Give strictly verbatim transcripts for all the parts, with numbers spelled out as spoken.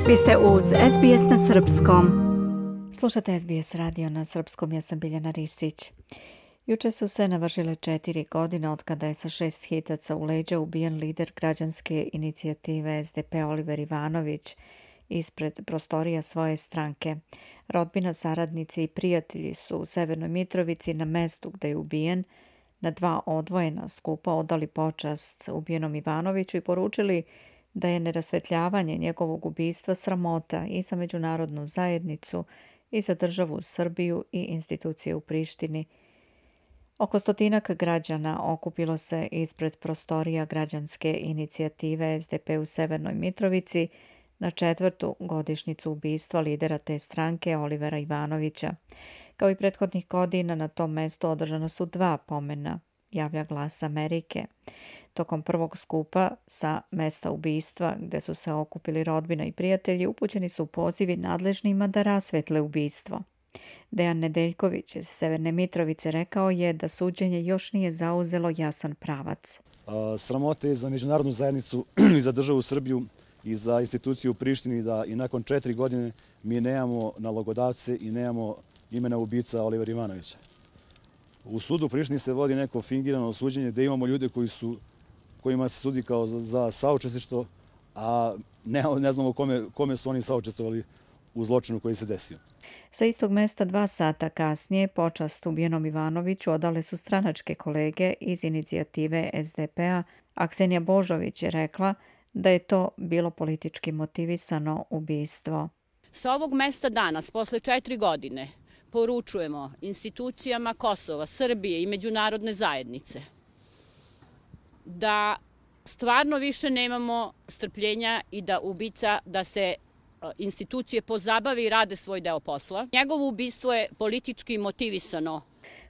Vi ste uz S B S na srpskom. Slušate S B S radio na srpskom, ja sam Biljana Ristić. Juče su se navršile četiri godine od kada je sa šest hitaca u leđa ubijen lider građanske inicijative S D P Oliver Ivanović ispred prostorija svoje stranke. Rodbina, saradnici i prijatelji su u Severnoj Mitrovici na mestu gde je ubijen na dva odvojena skupa odali počast ubijenom Ivanoviću i poručili da je nerasvetljavanje njegovog ubistva sramota i za međunarodnu zajednicu i za državu Srbiju i institucije u Prištini. Oko stotinak građana okupilo se ispred prostorija građanske inicijative S D P u Severnoj Mitrovici na četvrtu godišnjicu ubistva lidera te stranke Olivera Ivanovića. Kao i prethodnih godina na tom mestu održana su dva pomena, javlja Glas Amerike. Tokom prvog skupa sa mesta ubistva, gde su se okupili rodbina i prijatelji, upućeni su pozivi nadležnima da rasvetle ubistvo. Dejan Nedeljković iz Severne Mitrovice rekao je da suđenje još nije zauzelo jasan pravac. Sramote je za međunarodnu zajednicu i za državu Srbiju i za instituciju u Prištini da i nakon četiri godine mi nemamo nalogodavce i nemamo imena ubica Olivera Ivanovića. U sudu u Prištini se vodi neko fingirano suđenje gde imamo ljude koji su, kojima se sudi kao za, za saučesništvo, a ne, ne znamo kome, kome su oni saučestvovali u zločinu koji se desio. Sa istog mesta dva sata kasnije počast ubijenom Ivanoviću odale su stranačke kolege iz inicijative S D P-a, a Ksenija Božović je rekla da je to bilo politički motivisano ubistvo. Sa ovog mesta danas, posle četiri godine, poručujemo institucijama Kosova, Srbije i međunarodne zajednice da stvarno više nemamo strpljenja i da ubica, da se institucije pozabave i rade svoj deo posla. Njegovo ubistvo je politički motivisano.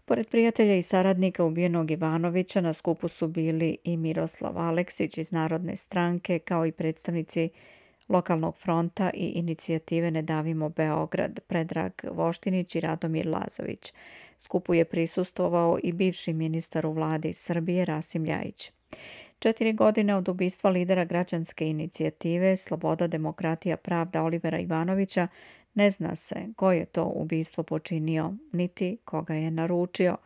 Pored prijatelja i saradnika ubijenog Ivanovića na skupu su bili i Miroslav Aleksić iz Narodne stranke, kao i predstavnici Lokalnog fronta i inicijative Ne davimo Beograd, Predrag Voštinić i Radomir Lazović. Skupu je prisustvovao i bivši ministar u vladi Srbije Rasim Ljajić. Četiri godine od ubistva lidera građanske inicijative Sloboda, demokratija, pravda Olivera Ivanovića ne zna se ko je to ubistvo počinio, niti koga je naručio.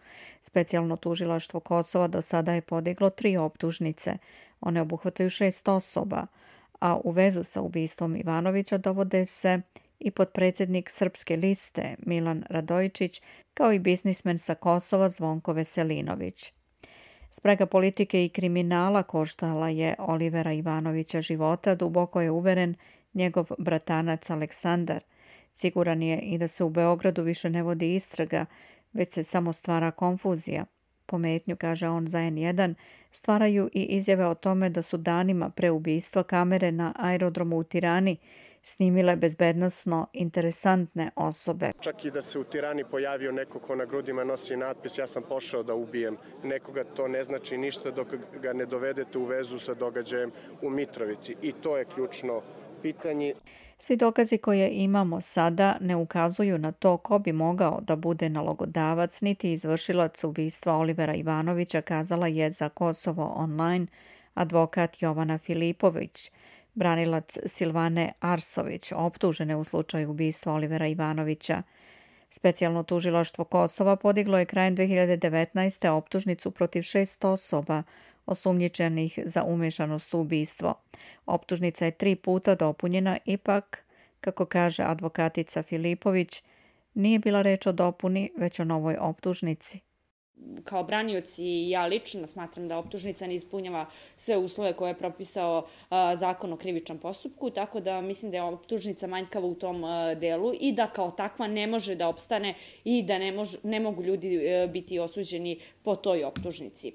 Specijalno tužilaštvo Kosova do sada je podiglo tri optužnice. One obuhvataju šest osoba, a u vezu sa ubistvom Ivanovića dovode se i potpredsjednik Srpske liste Milan Radojičić, kao i biznismen sa Kosova Zvonko Veselinović. Sprega politike i kriminala koštala je Olivera Ivanovića života, duboko je uveren njegov bratanac Aleksandar. Siguran je i da se u Beogradu više ne vodi istraga, već se samo stvara konfuzija. Pometnju, kaže on za N jedan, stvaraju i izjave o tome da su danima pre ubistva kamere na aerodromu u Tirani snimile bezbednosno interesantne osobe. Čak i da se u Tirani pojavio neko ko na grudima nosi natpis ja sam pošao da ubijem nekoga, to ne znači ništa dok ga ne dovedete u vezu sa događajem u Mitrovici. I to je ključno pitanje. Svi dokazi koje imamo sada ne ukazuju na to ko bi mogao da bude nalogodavac niti izvršilac ubistva Olivera Ivanovića, kazala je za Kosovo online advokat Jovana Filipović, branilac Silvane Arsović, optužene u slučaju ubistva Olivera Ivanovića. Specijalno tužilaštvo Kosova podiglo je krajem dve hiljade devetnaeste. optužnicu protiv šest osoba osumnjičenih za umešanost u ubistvo. Optužnica je tri puta dopunjena, ipak, kako kaže advokatica Filipović, nije bila reč o dopuni, već o novoj optužnici. Kao branioc i ja lično smatram da optužnica ne ispunjava sve uslove koje je propisao a, zakon o krivičnom postupku, tako da mislim da je optužnica manjkava u tom a, delu i da kao takva ne može da opstane i da ne, mož, ne mogu ljudi a, biti osuđeni po toj optužnici.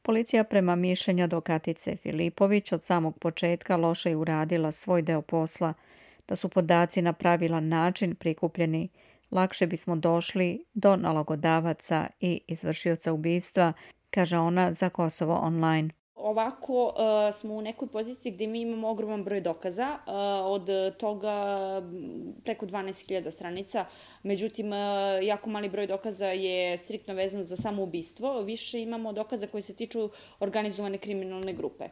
Policija prema mišljenju advokatice Filipović od samog početka loše je uradila svoj deo posla, da su podaci na pravilan način prikupljeni, lakše bismo došli do nalogodavaca i izvršioca ubistva, kaže ona za Kosovo online. Ovako uh, smo u nekoj poziciji gdje mi imamo ogroman broj dokaza, uh, od toga preko dvanaest hiljada stranica, međutim uh, jako mali broj dokaza je striktno vezan za samo ubistvo, više imamo dokaza koji se tiču organizovane kriminalne grupe.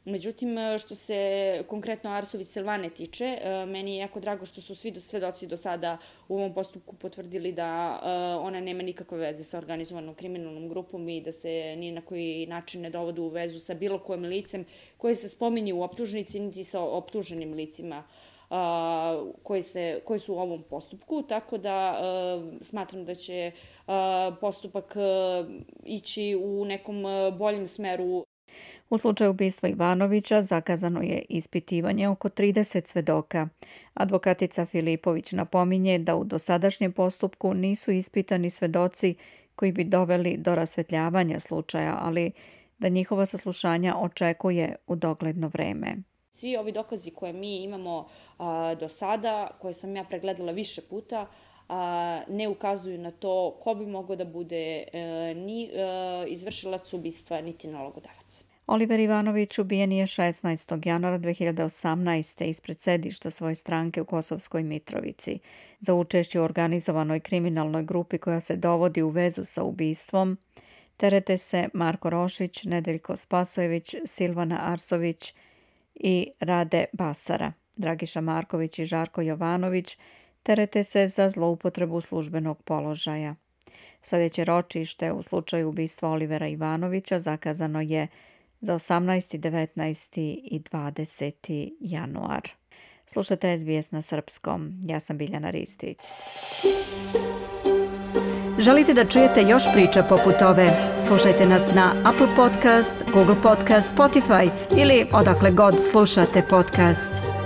Međutim, što se konkretno Arsović Silvane tiče, meni je jako drago što su svi svedoci do sada u ovom postupku potvrdili da ona nema nikakve veze sa organizovanom kriminalnom grupom i da se ni na koji način ne dovode u vezu sa bilo kojim licem koje se spominje u optužnici, niti sa optuženim licima koji, se, koji su u ovom postupku, tako da smatram da će postupak ići u nekom boljem smeru. U slučaju ubistva Ivanovića zakazano je ispitivanje oko trideset svedoka. Advokatica Filipović napominje da u dosadašnjem postupku nisu ispitani svedoci koji bi doveli do rasvetljavanja slučaja, ali da njihova saslušanja očekuje u dogledno vreme. Svi ovi dokazi koje mi imamo a, do sada, koje sam ja pregledala više puta, a, ne ukazuju na to ko bi mogao da bude e, ni e, izvršilac ubistva, niti nalogodavac. Oliver Ivanović ubijen je šesnaestog januara dve hiljade osamnaeste. ispred sedišta svoje stranke u Kosovskoj Mitrovici. Za učešće u organizovanoj kriminalnoj grupi koja se dovodi u vezu sa ubistvom terete se Marko Rošić, Nedeljko Spasojević, Silvana Arsović i Rade Basara. Dragiša Marković i Žarko Jovanović terete se za zloupotrebu službenog položaja. Sljedeće ročište u slučaju ubistva Olivera Ivanovića zakazano je za osamnaesti, devetnaesti i dvadeseti januar. Slušate S B S na srpskom. Ja sam Biljana Ristić. Želite da čujete još priča poput ove? Slušajte nas na Apple Podcast, Google Podcast, Spotify ili odakle god slušate podcast.